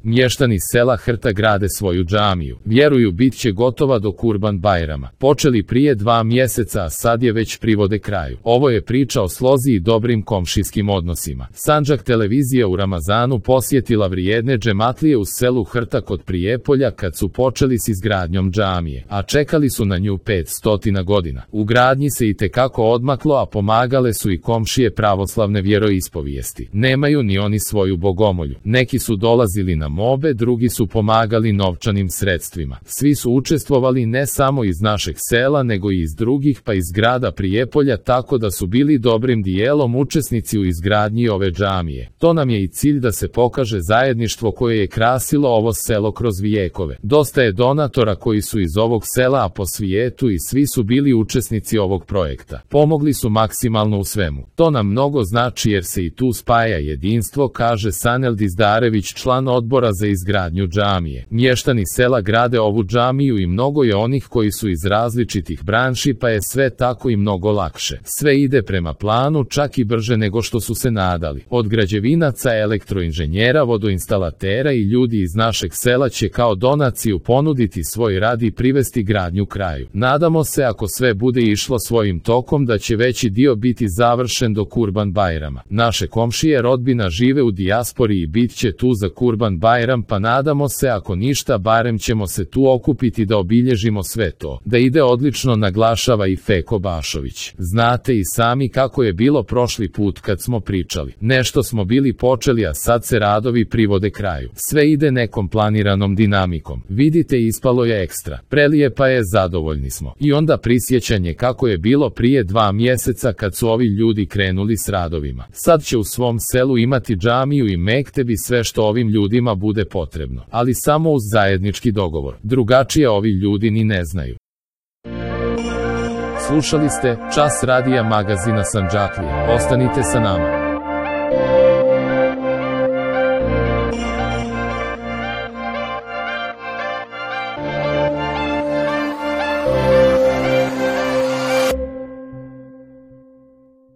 Mještani sela Hrta grade svoju džamiju. Vjeruju bit će gotova do Kurban Bajrama. Počeli prije 2 mjeseca, a sad je već privode kraju. Ovo je priča o slozi i dobrim komšijskim odnosima. Sandžak televizija u Ramazanu posjetila vrijedne džematlije u selu Hrta kod Prijepolja kad su počeli s izgradnjom džamije, a čekali su na nju 500 godina. U gradnji se itekako odmaklo, a pomagale su i komšije pravoslavne vjeroispovijesti. Nemaju ni oni svoju bogomolju. Neki su dolazili na mobe, drugi su pomagali novčanim sredstvima. Svi su učestvovali ne samo iz našeg sela, nego i iz drugih, pa iz grada Prijepolja, tako da su bili dobrim dijelom učesnici u izgradnji ove džamije. To nam je i cilj, da se pokaže zajedništvo koje je krasilo ovo selo kroz vijekove. Dosta je donatora koji su iz ovog sela, a po svijetu, i svi su bili učesnici ovog projekta. Pomogli su maksimalno u svemu. To nam mnogo znači jer se i tu spaja jedinstvo, kaže Sanel Dizdarević, član odbora za izgradnju džamije. Mještani sela grade ovu džamiju i mnogo je onih koji su iz različitih branši, pa je sve tako i mnogo lakše. Sve ide prema planu, čak i brže nego što su se nadali. Od građevinaca, elektroinženjera, vodoinstalatera i ljudi iz našeg sela će kao donaciju ponuditi svoj rad i privesti gradnju kraju. Nadamo se, ako sve bude išlo svojim tokom, da će veći dio biti završen do Kurban Bajrama. Naše komšije rodbina žive u dijaspori i bit će tu za Kurban Bajram, pa nadamo se, ako ništa, barem ćemo se tu okupiti da obilježimo sve to. Da ide odlično, naglašava i Feko Bašović. Znate i sami kako je bilo prošli put kad smo pričali. Nešto smo bili počeli, a sad se radovi privode kraju. Sve ide nekom planiranom dinamikom. Vidite, ispalo je ekstra. Prelijepa je, zadovoljni smo. I onda prisjećanje kako je bilo prije 2 mjeseca kad su ovi ljudi krenuli s radovima. Sad će u svom selu imati džamiju i mektebi, sve što ovim ljudima bude potrebno. Ali samo uz zajednički dogovor. Drugačije ovi ljudi ni ne znaju. Slušali ste Čas radija magazina Sandžaklije. Ostanite sa nama.